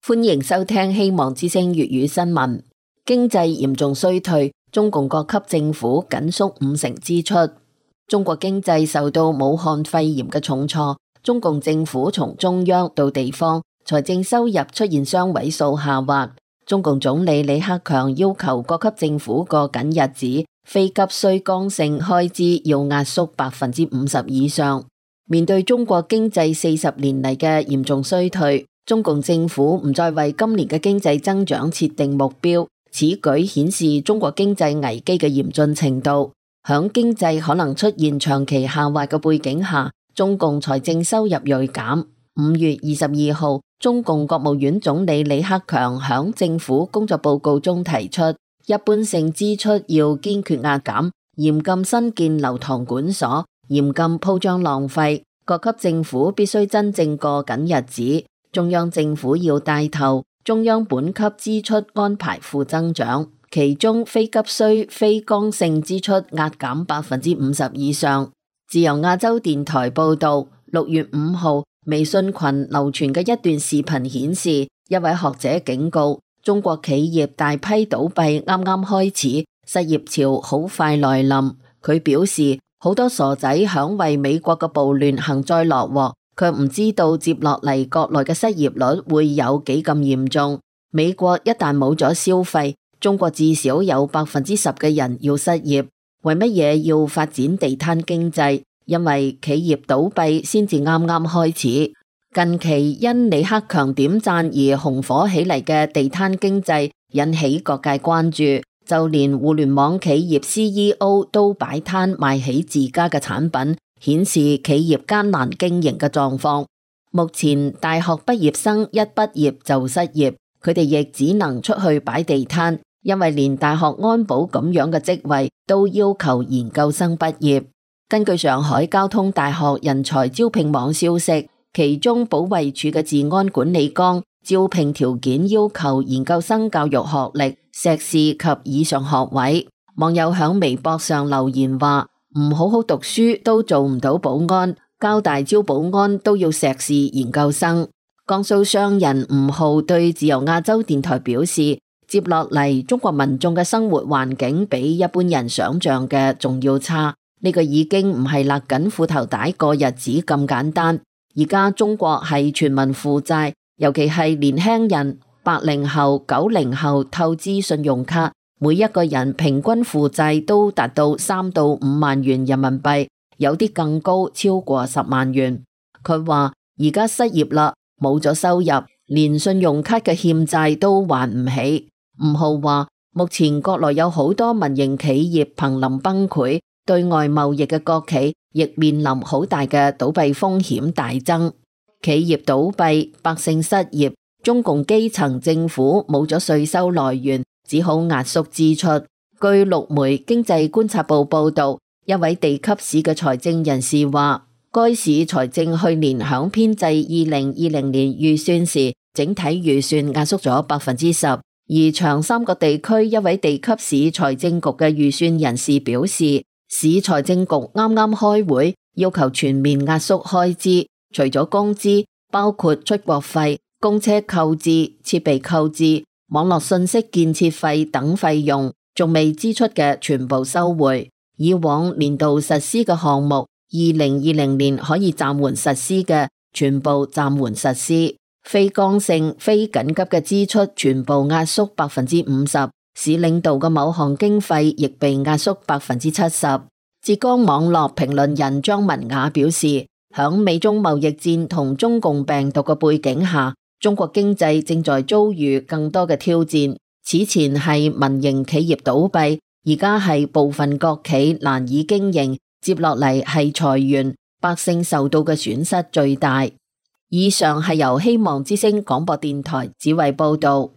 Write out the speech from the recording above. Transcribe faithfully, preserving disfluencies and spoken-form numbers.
歡迎收聽希望之聲粵語新聞。經濟嚴重衰退，中共各級政府緊縮五成支出。中國經濟受到武漢肺炎嘅重挫，中共政府從中央到地方財政收入出現雙位數下滑。中共總理李克強要求各級政府過緊日子，非急需剛性開支要壓縮百分之五十以上。面對中國經濟四十年嚟嘅嚴重衰退，中共政府唔再為今年嘅經濟增長設定目標，此舉顯示中國經濟危機嘅嚴峻程度。響經濟可能出現長期下滑嘅背景下，中共財政收入銳減。五月二十二號，中共國務院總理李克強響政府工作報告中提出，一般性支出要堅決壓減，嚴禁新建樓堂館所，嚴禁鋪張浪費。各級政府必須真正過緊日子。中央政府要帶頭，中央本級支出安排負增長，其中非急需、非剛性支出壓減百分之五十以上。自由亞洲電台報道，六月五號，微信群流傳嘅一段視頻顯示，一位學者警告，中國企業大批倒閉啱啱開始，失業潮好快來臨。佢表示，好多傻仔響為美國嘅暴亂幸災樂禍，卻唔知道接落嚟國內嘅失業率會有幾咁嚴重。美國一旦冇咗消費，中國至少有百分之十嘅人要失業。為乜嘢要發展地攤經濟？因為企業倒閉先至啱啱開始。近期因李克強點讚而紅火起嚟嘅地攤經濟引起各界關注，就連互聯網企業 C E O 都擺攤賣起自家嘅產品，顯示企業艱難經營嘅狀況。目前大學畢業生一畢業就失業，佢哋亦只能出去擺地攤，因為連大學安保咁樣嘅職位都要求研究生畢業。根據上海交通大學人才招聘網消息，其中保衛處嘅治安管理綱招聘條件要求研究生教育學歷、碩士及以上學位。網友響微博上留言話，唔好好讀書都做唔到保安，交大招保安都要碩士研究生。江蘇商人吳浩對自由亞洲電台表示，接落嚟中國民眾嘅生活環境比一般人想象嘅仲要差，呢個已經唔係勒緊褲頭帶過日子咁簡單。而家中國係全民負債，尤其係年輕人，八零後、九零後透支信用卡，每一個人平均負債都達到三到五萬元人民幣，有啲更高，超過十萬元。佢話而家失業啦，冇咗收入，連信用卡嘅欠債都還唔起。吳浩話，目前國內有好多民營企業瀕臨崩潰，對外貿易嘅國企亦面臨好大嘅倒閉風險大增。企業倒閉，百姓失業，中共基層政府冇咗稅收來源，只好壓縮支出。據陸媒經濟觀察報報道，一位地級市嘅財政人士話，該市財政去年響編製二零二零年預算時，整體預算壓縮咗百分之十。而長三角地區一位地級市財政局嘅預算人士表示，市財政局啱啱開會，要求全面壓縮開支，除咗工資，包括出國費、公車購置、設備購置、網絡信息建設費等費用，仲未支出嘅全部收回。以往年度實施嘅項目，二零二零年可以暫緩實施嘅，全部暫緩實施。非剛性、非緊急嘅支出全部壓縮百分之五十，市領導嘅某項經費亦被壓縮百分之七十。浙江網絡評論人張文雅表示，響美中貿易戰同中共病毒嘅背景下，中國經濟正在遭遇更多嘅挑戰。此前係民營企業倒閉，而家係部分國企難以經營，接落嚟係裁員，百姓受到嘅損失最大。以上係由希望之聲廣播電台子慧報道。